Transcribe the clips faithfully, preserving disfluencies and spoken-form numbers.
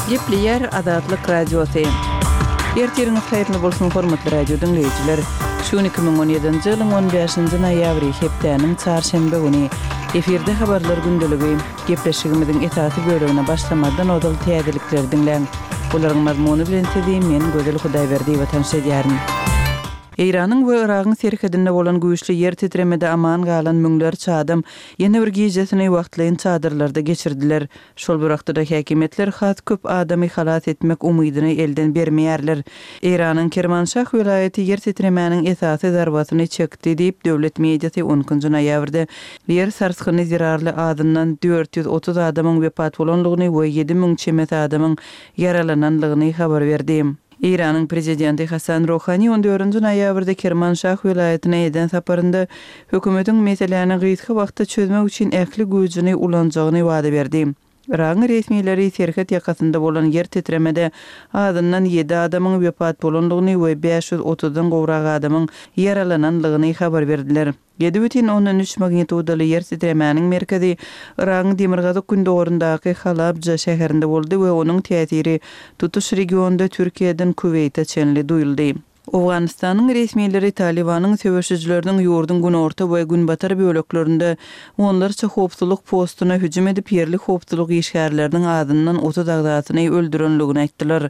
Gepleýär Azatlyk Radiosy. Ertiriňiz haýyrly bolsun, hormatly radio diňleýjiler. Şu gün iki müň on ýedinji ýylyň on bäşinji noýabry, hepdäniň çarşenbe güni. Efirde habarlar gündeligi. Gepleşigimiziň esasy bölegine başlamazdan ozal täzelikleri diňläň. Olaryň mazmuny bilen sizi men Gözel Hudaýberdiýewa tanyş edýärin. Eýranyň we Yragyň serhedinde bolan güýçli ýer titremede aman galan müňlerçe adam ýene bir gijesini wagtlaýyn çadyrlarda geçirdiler. Şol bir wagtda-da häkimiýetler has köp adamy halas etmek umydyny elden bermeýärler. Eýranyň Kermanşah welaýaty ýer titremäniň esasy zarbasyny çekdi diýip, döwlet mediasy on ikinji noýabrda ýer sarsgyny zerarly azyndan dört ýüz otuz adamyň wepat bolandygyny we ýedi müň çemesi adamyň ýaralanandygyny habar berdi. Eýranyň prezidenti Hasan Rohani on dördünji noýabrda Kermanşah welaýatyna eden saparynda hökümetiň meseläni gysga wagtda çözmek üçin ähli güýjüni ulanjagyny wada berdi. Yragyň resmileri serhet ýakasynda bolan ýer titremede azyndan ýedi adamyň wepat bolandygyny we bäş ýüz otuzdan gowrak adamyň ýaralanandygyny habar berdiler. Ýedi bütin ondan üç magnitudaly ýer titremäniň merkezi Yragyň demirgazyk-gündogaryndaky Halabja şäherinde boldy we onuň täsiri tutuş regionda Türkiýeden Kuweýte çenli duýuldy. Owganystanyň resmileri Talybanyň söweşijileriniň ýurduň günorta we günbatar böleklerinde onlarça howpsuzlyk postuna hüjüm edip, ýerli howpsuzlyk işgärleriniň azyndan otuz agzasyny öldürenligini aýtdylar.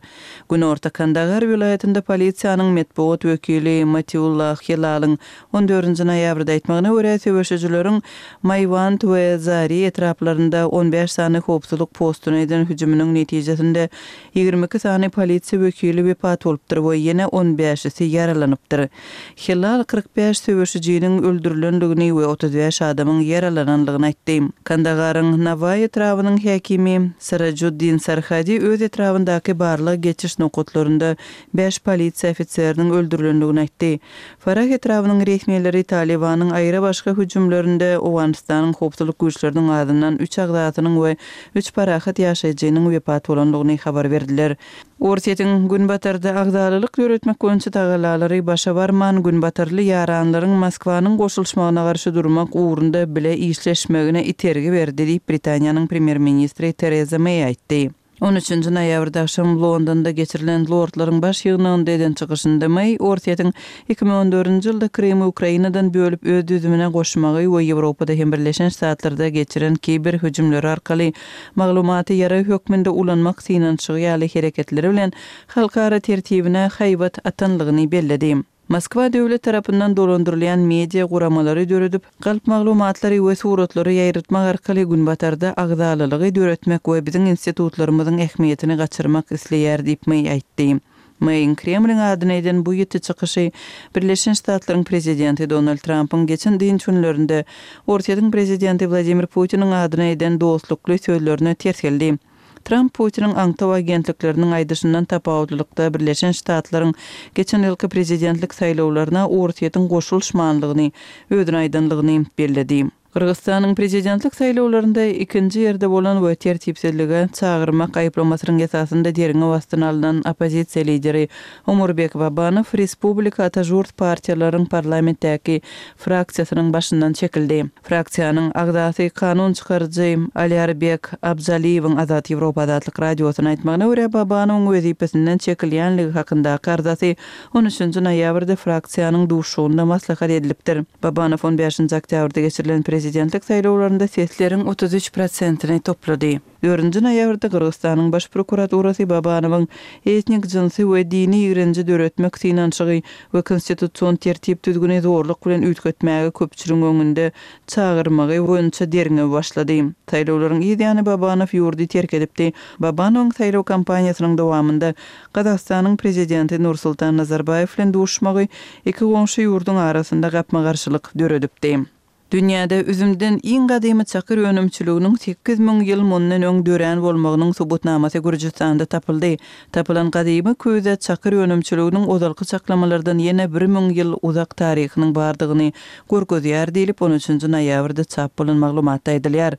Günorta Kandahar welaýatynda polisiýanyň metbugat wekili Matiullah Hilalyň on dördünji noýabrda aýtmagyna görä, söweşijileriň Maýwand we Zari etraplarynda on bäş sany howpsuzlyk postuna eden hüjüminiň netijesinde ýigrimi iki sany polisiýa wekili wepat bolupdyr we ýene on bäşisi ýaralanypdyr. Hilal kyrk bäş söweşijiniň öldürilendigini we otuz bäş adamyň ýaralanandygyny aýtdy. Kandagaryň Nawaý etrabynyň häkimi Sarajuddin Sarhadi öz etrabyndaky barlag geçiş nokatlarynda bäş polisiýa ofiseriniň öldürilendigini aýtdy. Farah etrabynyň resmileri Talybanyň aýra-başga hüjümlerinde Owganystanyň howpsuzlyk güýçleriniň azyndan üç agzasynyň we üç parahat ýaşaýjynyň wepat bolandygyny habar berdiler. Orsýetiň Günbatarda agzalylyk döretmek boýunça tagallalary başa barman, günbatarly ýaranlaryň Moskwanyň goşulyşmagyna garşy durmak ugrunda bile işleşmegine itergi berdi diýip, Britaniýanyň premýer-ministri Tereza Meý aýtdy. On üçünji noýabrda agşam Londonda geçirilen Lordlaryň baş ýygnagynda eden çykyşynda Meý Orsýetiň iki müň on dördünji ýylda Krymy Ukrainadan bölüp öz düzümine goşmagy we Ýewropada hem Birleşen Ştatlarda geçiren kiber hüjümleri arkaly maglumaty ýarag hökmünde ulanmak synanyşygy ýaly hereketleri bilen halkara tertibine haýbat atanlygyny belledi. Moskwa döwlet tarapyndan dolandyrylýan media guramalary döredip, galp maglumatlary we suratlary ýaýratmak arkaly Günbatarda agzalylygy döretmek we biziň institutlarymyzyň ähmiýetini gaçyrmak isleýär diýip Meý aýtdy. Meýiň Kremliň adyna eden bu ýiti çykyşy Birleşen Ştatlaryň prezidenti Donald Trampyň geçen dynç günlerinde Orsýetiň prezidenti Wladimir Putiniň adyna eden dostlukly sözlerine ters geldi. Tramp Putiniň aňtaw agentlikleriniň aýdyşyndan tapawutlylykda Birleşen Ştatlaryň geçen ýylky prezidentlik saýlawlaryna Orsýetiň goşulyşmanlygyny özüne aýdanlygyny belledi. Gyrgyzystanyň prezidentlik saýlawlarynda ikinji ýerde bolan we tertipsizlige çagyrmak aýyplamasynyň esasynda derňew astyna alnan oppozisiýa lideri Omurbek Babanow Respublika Ata-Žurt partiýalaryň parlamentdäki fraksiýasynyň başyndan çekildi. Fraksiýanyň agzasy kanun çykaryjy Alýarbek Abjaliýewiň Azat Ýewropa Azatlyk Radiosyna aýtmagyna görä, Babanowyň wezipesinden çekilýänligi hakyndaky arzasy on üçünji noýabrda fraksiýanyň duşuşygynda maslahat edilipdir. Babanow on bäşinji oktýabrda geçirilen prezidentlik saýlawlarynda sesleriň otuz üç prosentini toplady. Dördünji noýabrda Gyrgyzystanyň Baş prokuraturasy Babanowyň etnik, jynsy we dini ýigrenji döretmek synanyşygy we konstitusion tertip-düzgüni zorluk bilen üýtgetmäge köpçüligiň öňünde çagyrmagy boýunça derňew başlady. Saýlawlaryň yz ýany Babanow ýurdy terk edipdi. Babanowyň saýlaw kampaniýasynyň dowamynda Gazagystanyň prezidenti Nursultan Nazarbaýew bilen duşmagy iki goňşy ýurduň arasynda gapma-garşylyk döredipdi. Dünýäde üzümden iň gadymy çakyr önümçiliginiň sekiz müň ýyl mundan öň dörän bolmagynyň subutnamasy Gürjüstanda tapyldy. Tapylan gadymy küýze çakyr önümçiliginiň ozalky çaklamalardan ýene bir müň ýyl uzak taryhynyň bardygyny görkezýär diýlip, on üçünji noýabrda çap bolan maglumatda aýdylýar.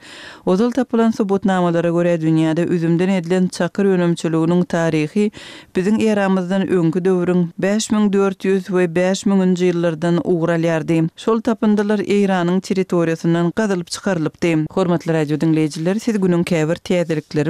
Ozal tapylan subutnamalara görä, dünýäde üzümden edilen çakyr önümçiliginiň taryhy biziň eramyzdan öňki döwrüň bäş müň dört ýüz we bäş müňünji ýyllardan ugur alýardy. Şol tapyndylar Eýranyň territoriýasyndan gazylyp çykarylypdy. Hormatly radio diňleýjiler, siz günüň käbir täzelikleri